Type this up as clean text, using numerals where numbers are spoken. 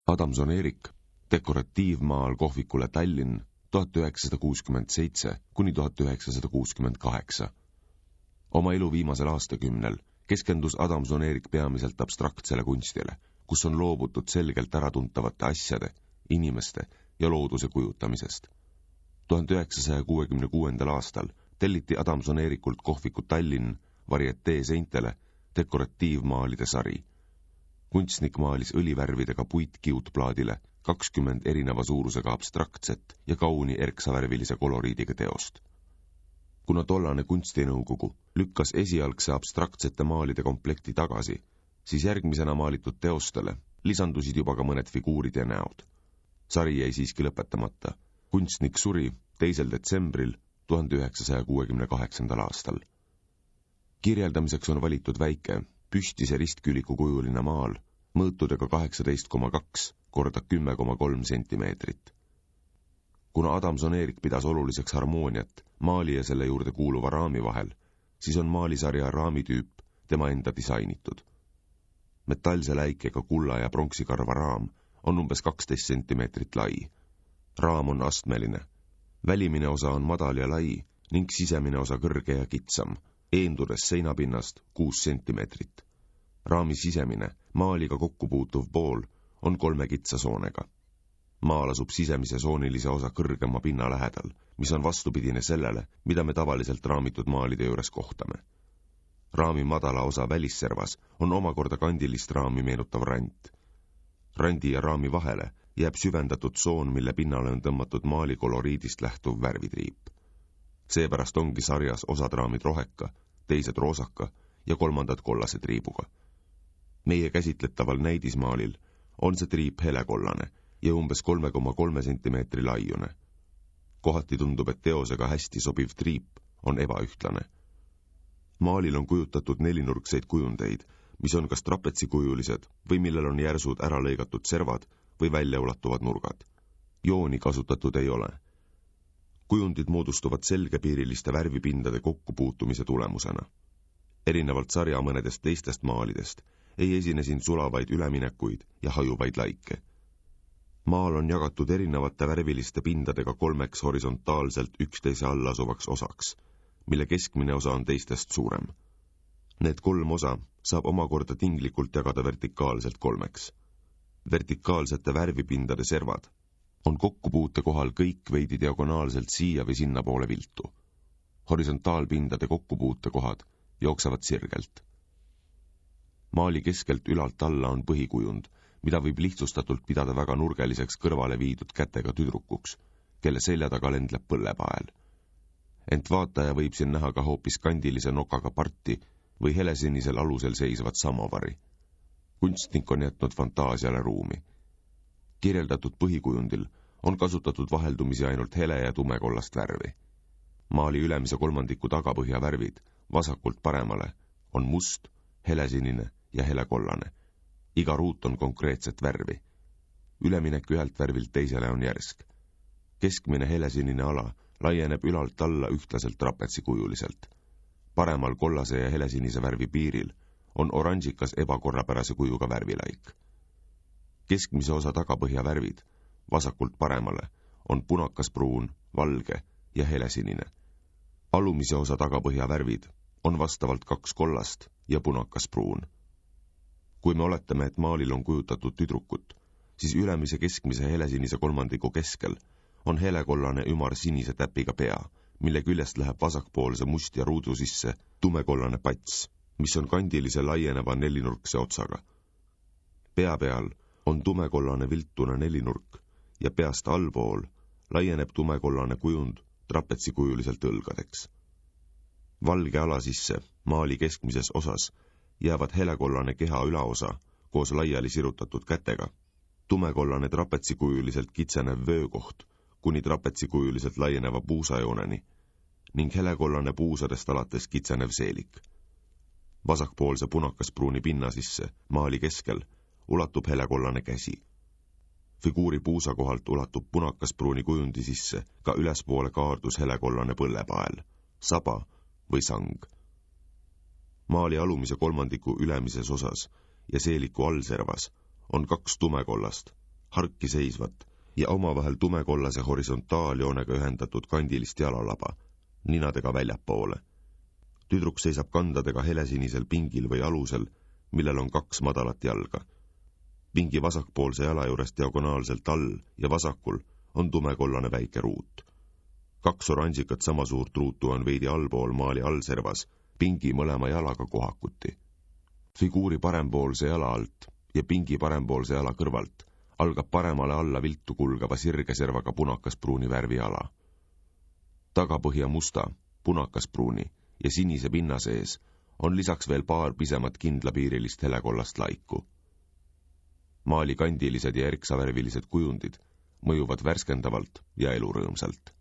Adamson Erik, dekoratiivmaal kohvikule Tallinn 1967–1968. Oma elu viimasel aastakümnel keskendus Adamson Erik peamiselt abstraktsele kunstile, kus on loobutud selgelt äratuntavate asjade, inimeste ja looduse kujutamisest. 1966. aastal telliti Adamson Erikult kohviku Tallinn varietee seintele dekoratiivmaalide sari. Kunstnik maalis õlivärvidega puitkiudplaadile 20 erineva suurusega abstraktset ja kauni erksavärvilise koloriidiga teost. Kuna tollane kunstinõukogu lükkas esialgse abstraktsete maalide komplekti tagasi, siis järgmisena maalitud teostele lisandusid juba ka mõned figuurid ja näod. Sari jäi siiski lõpetamata. Kunstnik suri 2. detsembril 1968. aastal. Kirjeldamiseks on valitud väike, püstise ristküliku kujuline maal, mõõtudega 18,2 korda 10,3 sentimeetrit. Kuna Adamson Erik pidas oluliseks harmooniat maali ja selle juurde kuuluva raami vahel, siis on maalisarja raamitüüp tema enda disainitud. Metallse läikega kulla ja pronksikarva raam on umbes 12 sentimeetrit lai. Raam on astmeline. Välimine osa on madal ja lai ning sisemine osa kõrge ja kitsam, eendudes seinapinnast 6 sentimeetrit. Raami sisemine, maaliga kokku puutuv pool on 3 kitsa soonega. Maal asub sisemise soonilise osa kõrgema pinna lähedal, mis on vastupidine sellele, mida me tavaliselt raamitud maalide juures kohtame. Raami madala osa välisservas on omakorda kandilist raami meenutav rant. Randi ja raami vahele jääb süvendatud soon, mille pinnale on tõmmatud maali koloriidist lähtuv värvitriip. Seepärast ongi sarjas osad raamid roheka, teised roosaka ja kolmandad kollase triibuga. Meie käsitletaval näidismaalil on see triip helekollane ja umbes 3,3 sentimeetri laiune. Kohati tundub, et teosega hästi sobiv triip on ebaühtlane. Maalil on kujutatud nelinurkseid kujundeid, mis on kas trapetsikujulised või millel on järsud ära lõigatud servad või väljaulatuvad nurgad. Jooni kasutatud ei ole. Kujundid moodustuvad selgepiiriliste värvipindade kokkupuutumise tulemusena. Erinevalt sarja mõnedest teistest maalidest ei esine siin sulavaid üleminekuid ja hajuvaid laike. Maal on jagatud erinevate värviliste pindadega 3 horisontaalselt üksteise all asuvaks osaks, mille keskmine osa on teistest suurem. Need 3 osa saab omakorda tinglikult jagada vertikaalselt 3. Vertikaalsete värvipindade servad on kokkupuute kohal kõik veidi diagonaalselt siia või sinna poole viltu. Horisontaalpindade kokkupuute kohad jooksevad sirgelt. Maali keskelt ülalt alla on põhikujund, mida võib lihtsustatult pidada väga nurgeliseks kõrvale viidud kätega tüdrukuks, kelle selja taga lendleb põllepael. Ent vaataja võib siin näha ka hoopis kandilise nokaga parti või helesinisel alusel seisvat samovari. Kunstnik on jätnud fantaasiale ruumi. Kirjeldatud põhikujundil on kasutatud vaheldumisi ainult hele ja tumekollast värvi. Maali ülemise kolmandiku tagapõhja värvid vasakult paremale on must, helesinine ja helekollane. Iga ruut on konkreetset värvi. Üleminek ühelt värvilt teisele on järsk. Keskmine helesinine ala laieneb ülalt alla ühtlaselt trapetsikujuliselt. Paremal kollase ja helesinise värvi piiril on oranžikas ebakorrapärase kujuga värvilaik. Keskmise osa tagapõhja värvid, vasakult paremale, on punakaspruun, valge ja helesinine. Alumise osa tagapõhja värvid on vastavalt 2 kollast ja punakaspruun. Kui me oletame, et maalil on kujutatud tüdrukut, siis ülemise keskmise helesinise kolmandiku keskel on helekollane ümar sinise täpiga pea, mille küljest läheb vasakpoolse mustja ruudu sisse tumekollane pats, mis on kandilise laieneva nelinurkse otsaga. Pea peal on tumekollane viltune nelinurk ja peast allpool laieneb tumekollane kujund trapetsikujuliselt õlgadeks. Valge ala sisse maali keskmises osas jäävad helekollane keha ülaosa koos laiali sirutatud kätega, tumekollane trapetsikujuliselt kitsenev vöökoht kuni trapetsikujuliselt laieneva puusajooneni ning helekollane puusadest alates kitsenev seelik. Vasakpoolse punakaspruuni pinna sisse maali keskel ulatub helekollane käsi. Figuuri puusa kohalt ulatub punakaspruuni kujundi sisse ka ülespoole kaardus helekollane põllepael, saba või sang. Maali alumise kolmandiku ülemises osas ja seeliku allservas on 2 tumekollast, harki seisvat ja omavahel tumekollase horisontaaljoonega ühendatud kandilist jalalaba, ninadega väljapoole. Tüdruk seisab kandadega helesinisel pingil või alusel, millel on 2 madalat jalga. Pingi vasakpoolse jala juures diagonaalselt all ja vasakul on tumekollane väike ruut. 2 oranžikat sama suurt ruutu on veidi allpool maali allservas, pingi mõlema jalaga kohakuti. Figuuri parempoolse jala alt ja pingi parempoolse jala kõrvalt algab paremale alla viltu kulgeva sirgeservaga punakaspruuni värviala. Tagapõhja musta, punakaspruuni ja sinise pinna sees on lisaks veel paar pisemat kindlapiirilist helekollast laiku. Maali kandilised ja erksavärvilised kujundid mõjuvad värskendavalt ja elurõõmsalt.